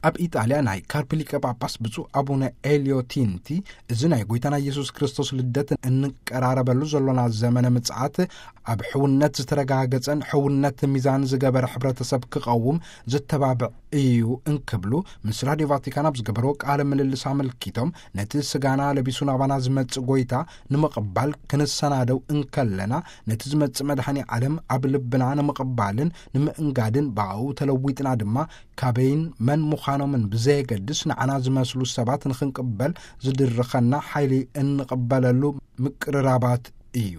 ኣብ ኢጣልያ ናይ ካርፕ ሊቀ ጳጳስ ብፁዕ ኣቡነ ኤልዮ ቲንቲ፣ እዚ ናይ ጎይታና ኢየሱስ ክርስቶስ ልደት እንቀራረበሉ ዘሎና ዘመነ ምጽኣት፣ ኣብ ሕውነት ዝተረጋገጸን ሕውነት ሚዛን ዝገበረ ሕብረተሰብ ክቐውም ዝተባብዕ እዩ እንክብሉ ምስ ራዲዮ ቫቲካን ኣብ ዝገበርዎ ቃለ ምልልስ ኣመልኪቶም፣ ነቲ ስጋና ለቢሱ ናባና ዝመጽእ ጎይታ ንምቕባል ክንሰናደው እንከለና፣ ነቲ ዝመጽእ መድኃኔ ዓለም ኣብ ልብና ንምቕባልን ንምእንጋድን፣ ብኣኡ ተለዊጥና ድማ ካበይን መን ምዃኖምን ብዘየገድስ ንዓና ዝመስሉ ሰባት ንኽንቅበል ዝድርኸና ሓይሊ እንቕበለሉ ምቅርራባት እዩ።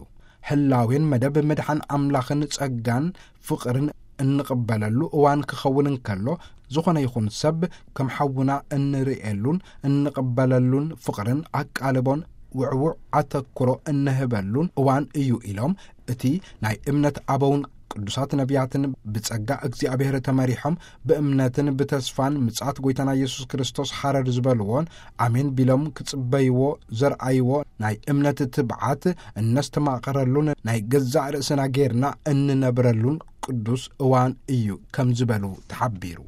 ህላዌን መደብ ምድሓን ኣምላኽን ጸጋን ፍቕርን እንቕበለሉ እዋን ክኸውን እንከሎ፣ ዝኾነ ይኹን ሰብ ከም ሓውና እንርእየሉን እንቕበለሉን ፍቕርን ኣቃልቦን ውዕዉዕ ኣተኩሮ እንህበሉን እዋን እዩ ኢሎም፣ እቲ ናይ እምነት ኣበውን ቅዱሳት ነቢያትን ብጸጋ እግዚኣብሔር ተመሪሖም ብእምነትን ብተስፋን ምጽኣት ጎይታና ኢየሱስ ክርስቶስ ሓረር ዝበልዎን ኣሜን ቢሎም ክጽበይዎ ዘርኣይዎ ናይ እምነት ትብዓት እነስተማቕረሉን ናይ ገዛእ ርእስና ጌርና እንነብረሉን ቅዱስ እዋን እዩ ከም ዝበሉ ተሓቢሩ።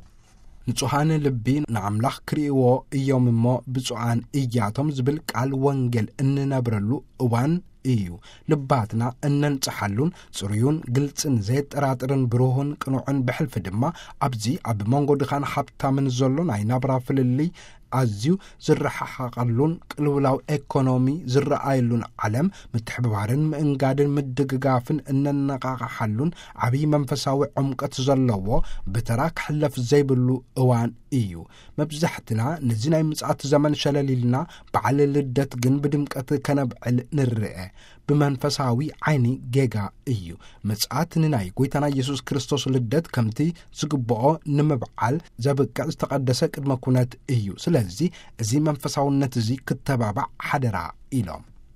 ንጹሃን ልቢ ንኣምላኽ ክርእይዎ እዮም እሞ ብፁዓን እያቶም ዝብል ቃል ወንጌል እንነብረሉ እዋን እዩ። ልባትና እነንጽሓሉን ጽሩዩን ግልጽን ዘየጠራጥርን ብሩህን ቅኑዕን ብሕልፊ ድማ ኣብዚ ኣብ መንጎ ድኻን ሃብታምን ዘሎ ናይ ናብራ ፍልልይ ኣዝዩ ዝረሓሓቐሉን ቅልውላው ኤኮኖሚ ዝረኣየሉን ዓለም ምትሕብባርን ምእንጋድን ምድግጋፍን እነነቓቕሓሉን ዓብዪ መንፈሳዊ ዕምቀት ዘለዎ ብተራ ክሕለፍ ዘይብሉ እዋን እዩ። መብዛሕትና ነዚ ናይ ምጽኣት ዘመን ሸለል ኢልና በዓል ልደት ግን ብድምቀት ከነብዕል ንርአ። ብመንፈሳዊ ዓይኒ ጌጋ እዩ። ምጽኣት ንናይ ጎይታና ኢየሱስ ክርስቶስ ልደት ከምቲ ዝግብኦ ንምብዓል ዘብቅዕ ዝተቐደሰ ቅድመ ኩነት እዩ። ስለዚ እዚ መንፈሳውነት እዚ ክተባባዕ ሓደራ ኢሎም።